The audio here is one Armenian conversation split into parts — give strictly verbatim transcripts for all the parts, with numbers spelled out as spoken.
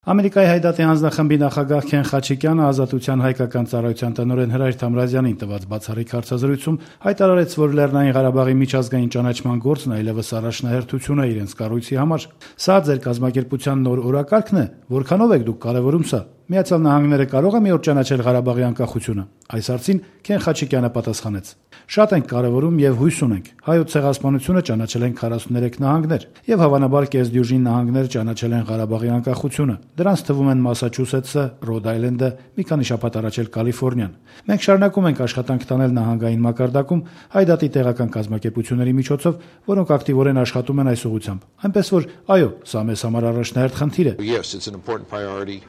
Ամերիկայի Հայդատի հանձնախմբի նախագահ Քեն Խաչիկյանը Ազատության հայկական ծառայության տնօրեն Հրայր Թամրազյանին տված բացառիկ հարցազրույցում հայտարարեց, որ Լեռնային Ղարաբաղի միջազգային ճանաչման գործն այլևս առաջնահերթություն է իրենց կառույցի համար։ Սա ձեր կազմակերպության նոր օրակարգն է, որքանով եք դուք կարևորում սա։ Միացյալ Նահանգները կարող է մի օր ճանաչել Ղարաբաղի անկախությունը։ Այս հարցին Քեն Խաչիկյանը պատասխանեց. Շատ ենք կարևորում եւ հույս ունենք։ Հայոց ցեղասպանությունը ճանաչել են քառասուներեք նահանգներ եւ հավանաբար կեսդյուժին նահանգներ ճանաչել են Ղարաբաղի անկախությունը։ Դրանց թվում են Մասաչուսեթսը, Ռոդ Այլենդը, մի քանի շաբաթ առաջ էլ Կալիֆոռնիան։ Մենք շարունակում ենք աշխատանք տանել նահանգային մակարդակում Հայդատի տեղական կազմակերպությունների միջոցով, որոնք ակտիվորեն աշխատում են այս ուղղությամբ։ Այնպես որ, այո, սա մեզ համար առաջնահերթ խնդիր է։ Yes, it's an important priority.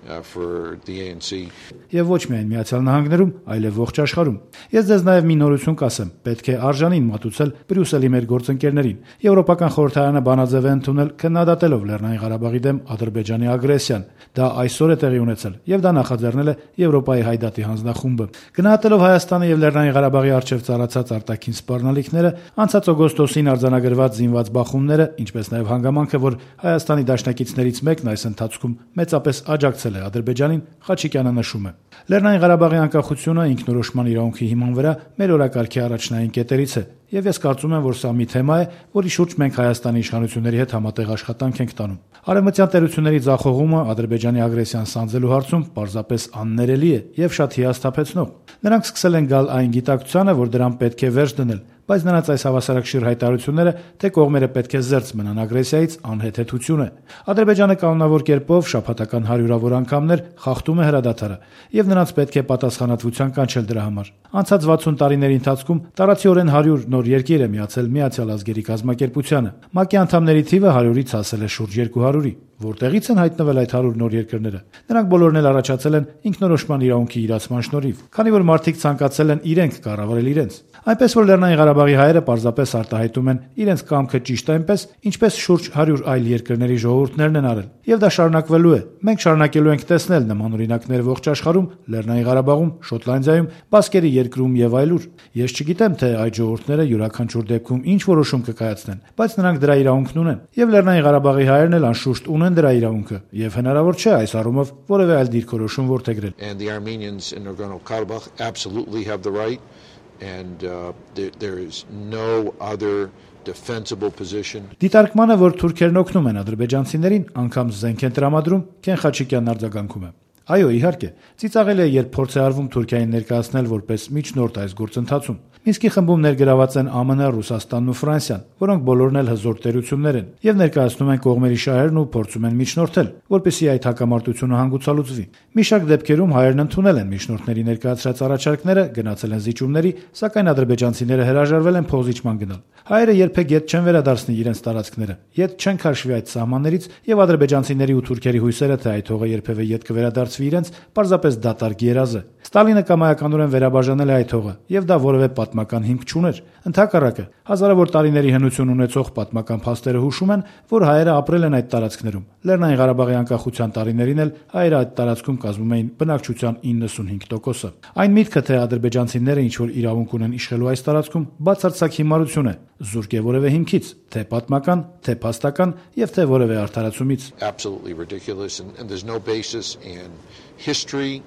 Uh, for the A N C. Եվ ոչ միայն Միացյալ Նահանգներում, այլև ողջ աշխարհում։ Ես ձեզ նաև մի նորություն կասեմ. պետք է արժանին մատուցել Բրյուսելի մեր գործընկերներին։ Եվրոպական խորհրդարանը բանաձև է ընդունել քննադատելով Լեռնային Ղարաբաղի դեմ Ադրբեջանի ագրեսիան։ Դա այսօր է տեղի ունեցել, եւ դա նախաձեռնել է Եվրոպայի Հայդատի հանձնախումբը։ Գնահատելով Հայաստանի եւ Լեռնային Ղարաբաղի առջև ծառացած արտաքին սպառնալիքները, անցած օգոստոսին արձանագրված զինված բախումները, ինչպես նաև հանգամանքը, որ Հայաստանի դաշնակիցներից մեկն այս ընթացքում մեծապես աջակցել Ադրբեջանին, Խաչիկյանը նշում է. Լեռնային Ղարաբաղի անկախությունը ինքնորոշման իրավունքի հիման վրա մեր օրակարգի առաջնային կետերից է, եւ ես կարծում եմ, որ սա մի թեմա է, որի շուրջ մենք Հայաստանի իշխանությունների հետ համատեղ աշխատանք ենք տանում։ Արևմտյան տերությունների ձախողումը Ադրբեջանի ագրեսիան սանձելու հարցում պարզապես աններելի է եւ շատ հիասթափեցնող։ Նրանք սկսել են գալ այն գիտակցությանը, որ դրան պետք է վերջ դնել, բայց նրանց այս հավասարակշիռ հայտարարությունները, թե կողմերը պետք է զերծ մնան ագրեսիայից, անհեթեթություն է։ Ադրբեջանը կանոնավոր կերպով շաբաթական հարյուրավոր անգամներ խախտում է հրադադարը, եւ նրանց պետք է պատասխանատվության կանչել դրա համար։ Անցած վաթսուն տարիների ընթացքում տարածիորեն հարյուր նոր երկիր է միացել Միացյալ Ազգերի կազմակերպությանը։ ՄԱԿ-ի անդամների թիվը հարյուրից հասել է շուրջ երկու հարյուրի։ Որտեղից են հայտնվել այդ հարյուր նոր երկրները։ Նրանք բոլորն էլ առաջացել են ինքնորոշման իրավունքի իրացման շնորհիվ, քանի որ մարդիկ ցանկացել են իրենք կառավարել իրենց։ Այնպես որ Լեռնային Ղարաբաղի հայերը պարզապես արտահայտում են իրենց կամքը ճիշտ այնպես, ինչպես շուրջ հարյուր այլ երկրների ժողովուրդներն են արել։ Եվ դա շարունակվելու է։ Մենք շարունակելու ենք տեսնել նման օրինակներ ողջ աշխարհում, Լեռնային Ղարաբաղում, Շոտլանդիայում, Բասկերի երկրում եւ այլուր։ Ես չգիտեմ, թե այդ ժողովուրդները յուրաքանչյուր դեպքում ինչ որոշում կկայացնեն, բայց նրանք դրա իրավունքն ունեն։ Եվ Լեռնային Ղարաբաղի հայերն էլ անշուշտ ունեն դրա իրավունքը, եւ հնարավոր չէ այս առումով որևէ այլ դիրքորոշում որդեգրել։ And the Armenians in Nagorno-Karabakh absolutely have the right, and uh, there, there is no other defensible position. Դիտարկմանը, որ թուրքերն օգնում են ադրբեջանցիներին, անգամ զենք են տրամադրում, Քեն Խաչիկյանն արձագանքում է. Այո, իհարկե, ծիծաղել է, երբ փորձ է արվում Թուրքիային ներկայացնել որպես միջնորդ այս գործընթացում։ Մինսկի խմբում ներգրաված են ԱՄՆ, Ռուսաստանն ու Ֆրանսիան, որոնք բոլորն էլ հզոր տերություններ են, եւ ներկայացնում են կողմերի շահերն ու փորձում են միջնորդել, որպեսզի այդ հակամարտությունը հանգուցալուծվի։ Մի շարք դեպքերում հայերն ընդունել են միջնորդների ներկայացրած առաջարկները, գնացել են զիջումների, սակայն ադրբեջանցիները հրաժարվել են փոխզիջման գնալ։ Հայերը երբեք ետ չեն վերադարձնի իրենց տարածքները, ետ չեն քաշվի այդ սահմաններից, եւ ադրբեջանցիների ու թուրքերի հույսերը, թե այդ հողը երբևէ ետ կվերադարձվի իրենց, պարզապես դատարկ երազ է։ Ստալինը կամայականորեն վերաբաժանել է այդ հողը, եւ դա որևէ պատմական հիմք չուներ։ Ընդհակառակը, հազարավոր տարիների հնություն ունեցող պատմական փաստերը հուշում են, որ հայերը ապրել են այդ տարածքներում։ Լեռնային Ղարաբաղի անկախության տարիներին էլ հայերը այդ տարածքում կազմում էին բնակչության իննսունհինգ տոկոսը։ Այն միտքը, թե ադրբեջանցիները ինչ որ իրավունք ունեն իշխելու այս տարածքում, բացարձակ հիմարություն է, զուրկ է որևէ հիմքից, թե պատմական, թե փաստական եւ թե որևէ արդարացումից։ Absolutely ridiculous, and, and there's no basis in history